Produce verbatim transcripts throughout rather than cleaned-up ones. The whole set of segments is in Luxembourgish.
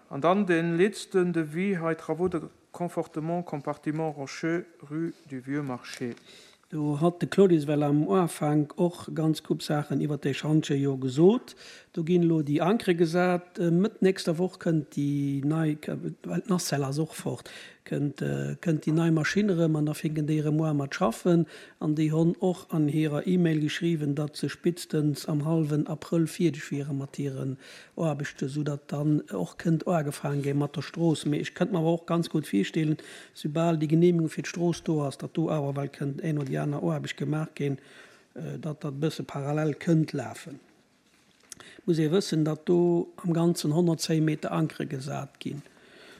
An dann dee letzten Devis hei, Travaux de confortement compartiment rocheux, rue du Vieux Marché. Do hat de Claudius well am Ufank och ganz gutt Saachen iwwer de Schantje jo gesot. Do ginn elo déi Ankere gesat. Mëtt nächster Woch kënnt déi nei, well d'Nacelle ass och fort, kënnt kënnt déi nei Maschinn erëm an da fänken déi erëm u mat schaffen. An déi hunn och an hirer E-Mail geschriwwen, datt se spéitstens am hallwen Abrëll fierdeg wiere mat hiren Aarbechten, soudatt dann och kënnt ugefaange gi mat der Strooss. Mee ech kënnt mer awer och ganz gutt virstellen, soubal déi Geneemegung fir d'Strooss do ass, datt do awer well kënnt eng oder déi aner Aarbecht gemaach ginn, datt dat e bësse parallel kënnt lafen. Muss ee wëssen, datt do am Ganzen honnertzéng Meter Ankere gesat ginn.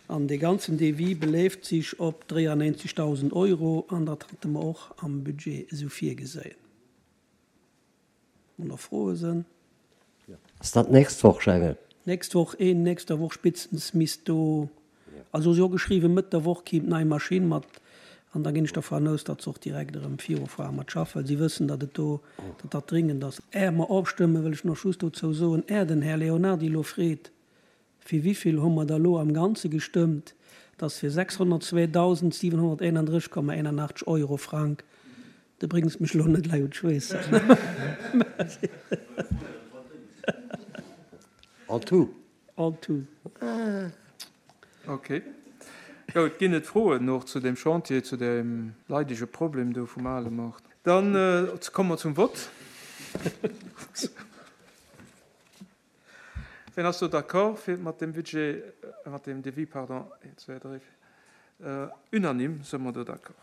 An dee ganzen Devis beleeft sech op dräianéinzegdausend Euro an dat hate mer och am Budget esou virgeséien. Wann nach Froe sinn? Ass dat d'nächst Woch, Jengel? Nächst Woch, een nächster Woch spéitstens misst do, also si hu geschriwwen, Mëtt der Woch kimm d'nei Maschinn mat an da ginn ech dervun aus, datt se och direkt erëm virufuere mat schaffen, well si wëssen, datt et do, datt dat dringend ass. Är mer ofstëmmen, wëll ech nach just dozou soen, är den Här Leonardy elo freet, fir wivill hu mer da elo am Ganze gestëmmt, dat ass fir sechshonnertzweedausendsiwenhonnerteenandrësseg Komma eenanachtzeg Euro, Frank, du bréngs mech elo net lei un d'Schweessen. En tout? En tout. Ok. Goud, ginn et Froen och zu deem Chantier, zu deem leidege Problem do vum ale Maart? Dann komme mer zum Vott. Wien ass do d'accord fir mat deem Budget, mat deem Devis, pardon, een, zwee, dräi, vier, unanime si mer do d'accord.